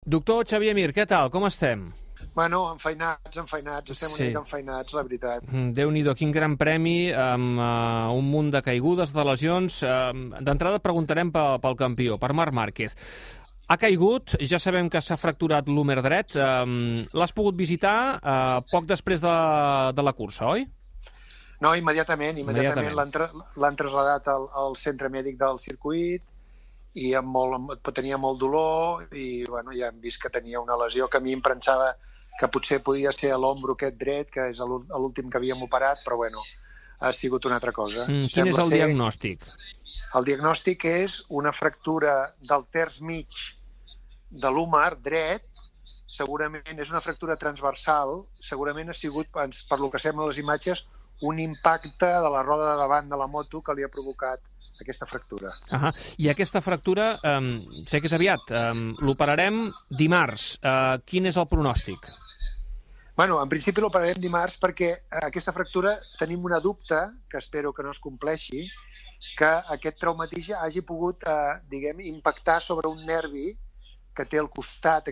Doctor Xavier Mir, què tal? Com estem? Bueno, enfeinats, estem una mica enfeinats, la veritat. Déu-n'hi-do, quin gran premi, amb un munt de caigudes, de lesions. D'entrada preguntarem pel campió, per Marc Márquez. Ha caigut, ja sabem que s'ha fracturat l'húmer dret. L'has pogut visitar poc després de la cursa, oi? No, immediatament l'han traslladat al centre mèdic del circuit i tenia molt dolor i bueno, ja hem vist que tenia una lesió que a mi em pensava que potser podia ser a l'ombro aquest dret, que és l'últim que havíem operat, però bueno, ha sigut una altra cosa. Quin és el diagnòstic? El diagnòstic és una fractura del terç mig de l'húmer dret, segurament és una fractura transversal, segurament ha sigut, per lo que sembla les imatges, un impacte de la roda de davant de la moto que li ha provocat aquesta fractura. I aquesta fractura, sé que és aviat, l'operarem dimarts. Quin és el pronòstic? Bueno, en principi l'operarem dimarts perquè aquesta fractura tenim una dubte, que espero que no es compleixi, que aquest traumatisme hagi pogut, impactar sobre un nervi que té al costat.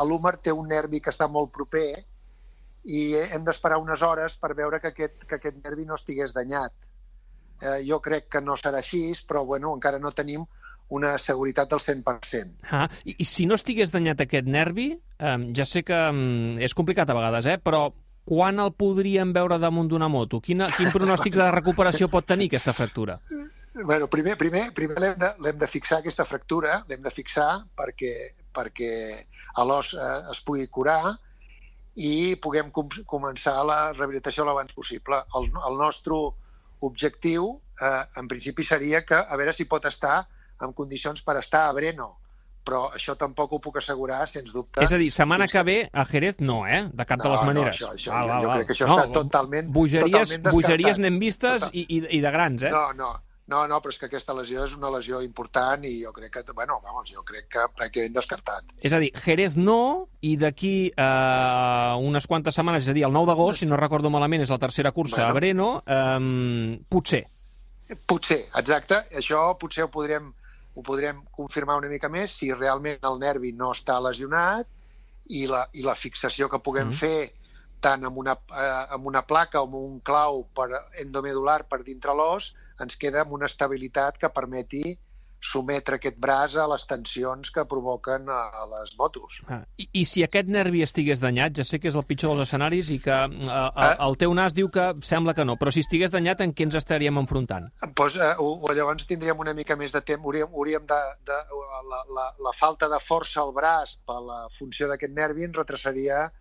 L'húmer té un nervi que està molt proper i hem d'esperar unes hores per veure que aquest nervi no estigués danyat. Jo crec que no serà així, però bueno, encara no tenim una seguretat del 100%. I si no estigués danyat aquest nervi, ja sé que és complicat a vegades, però quan el podríem veure damunt d'una moto? Quin pronòstic de recuperació pot tenir aquesta fractura? Bueno, primer l'hem de fixar, aquesta fractura, l'hem de fixar perquè l'os es pugui curar i puguem començar la rehabilitació l'abans possible. El nostre objectiu, en principi, seria que a veure si pot estar en condicions per estar a Brno, però això tampoc ho puc assegurar, sens dubte. És a dir, setmana que ve a Jerez no, de cap de les maneres. Jo crec que això està totalment descartat. Bogeries n'hem vistes i de grans, No, però és que aquesta lesió és una lesió important i jo crec que pràcticament descartat. És a dir, Jerez no, i d'aquí unes quantes setmanes, és a dir, el 9 d'agost, si no recordo malament, és la tercera cursa a Brno, potser. Potser, exacte. Això potser ho podrem confirmar una mica més si realment el nervi no està lesionat i la fixació que puguem fer tant amb una placa o amb un clau endomedular per dintre l'os ens queda amb una estabilitat que permeti sometre aquest braç a les tensions que provoquen a les motos. I si aquest nervi estigués danyat, ja sé que és el pitjor dels escenaris i que el teu nas diu que sembla que no, però si estigués danyat, en què ens estaríem enfrontant? Doncs llavors tindríem una mica més de temps, la falta de força al braç per la funció d'aquest nervi ens retrasaria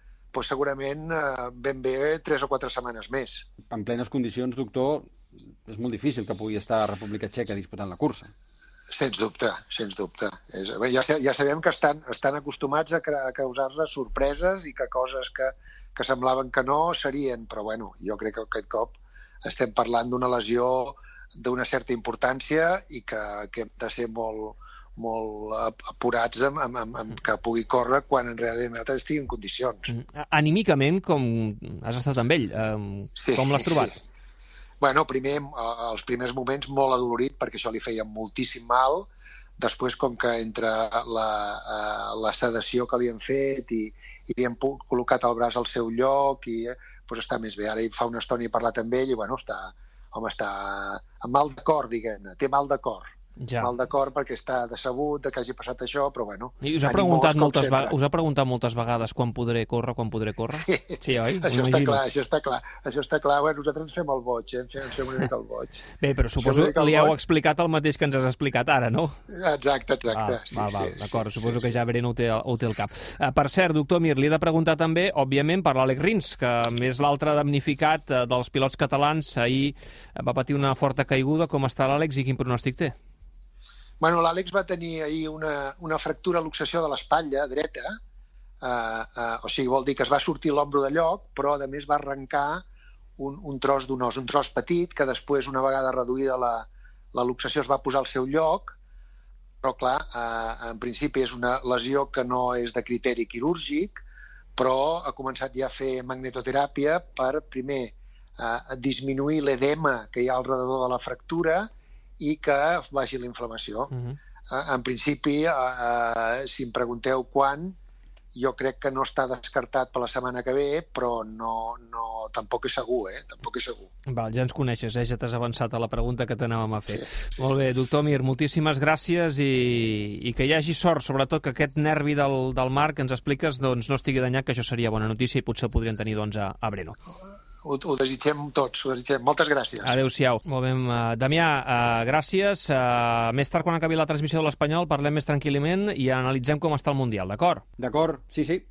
segurament ben bé 3 o 4 setmanes més. En plenes condicions, doctor, és molt difícil que pugui estar a República Txeca disputant la cursa. Sens dubte. Ja sabem que estan acostumats a causar-nos sorpreses i que coses que semblaven que no serien, però bueno, jo crec que aquest cop estem parlant d'una lesió d'una certa importància i que hem de ser molt apurats que pugui córrer quan en realitat estigui en condicions. Anímicament, com has estat amb ell? Com l'has trobat? Sí. Bueno, primer, els primers moments molt adolorit perquè això li feia moltíssim mal. Després, com que entre la sedació que li hem fet i li hem col·locat el braç al seu lloc i està més bé. Ara fa una estona he parlat amb ell i està amb mal de cor, diguem-ne. Té mal de cor. Mal de cor perquè està decebut que hagi passat això, però bueno... I us ha preguntat moltes vegades quan podré córrer? Sí, oi? Això està clar. Bueno, nosaltres ens fem el boig, ens fem una mica el boig. Bé, però suposo que li heu explicat el mateix que ens has explicat ara, no? Exacte. D'acord, suposo que ja Brno ho té al cap. Per cert, doctor Mir, li he de preguntar també, òbviament, per l'Àlex Rins, que és l'altre damnificat dels pilots catalans. Ahir va patir una forta caiguda. Com està l'Àlex i quin pronòstic té? Bueno, l'Àlex va tenir ahir una fractura a luxació de l'espatlla dreta, o sigui, vol dir que es va sortir l'ombro de lloc, però a més va arrencar un tros d'un os, un tros petit, que després, una vegada reduïda la luxació, es va posar al seu lloc, però clar, en principi és una lesió que no és de criteri quirúrgic, però ha començat ja a fer magnetoteràpia per, primer, disminuir l'edema que hi ha al redador de la fractura i que vagi la inflamació. En principi, si em pregunteu quan, jo crec que no està descartat per la setmana que ve, però tampoc és segur, Tampoc és segur. Val, ja ens coneixes, ja t'has avançat a la pregunta que t'anàvem a fer. Sí. Molt bé, doctor Mir, moltíssimes gràcies i que hi hagi sort, sobretot que aquest nervi del mar que ens expliques doncs, no estigui danyat, que això seria bona notícia i potser el podrien tenir doncs, a Breno. Ho desitgem tots, ho desitgem. Moltes gràcies. Adéu-siau. Molt bé, Damià, gràcies. Més tard, quan acabi la transmissió de l'Espanyol, parlem més tranquil·lament i analitzem com està el Mundial, d'acord? D'acord, sí.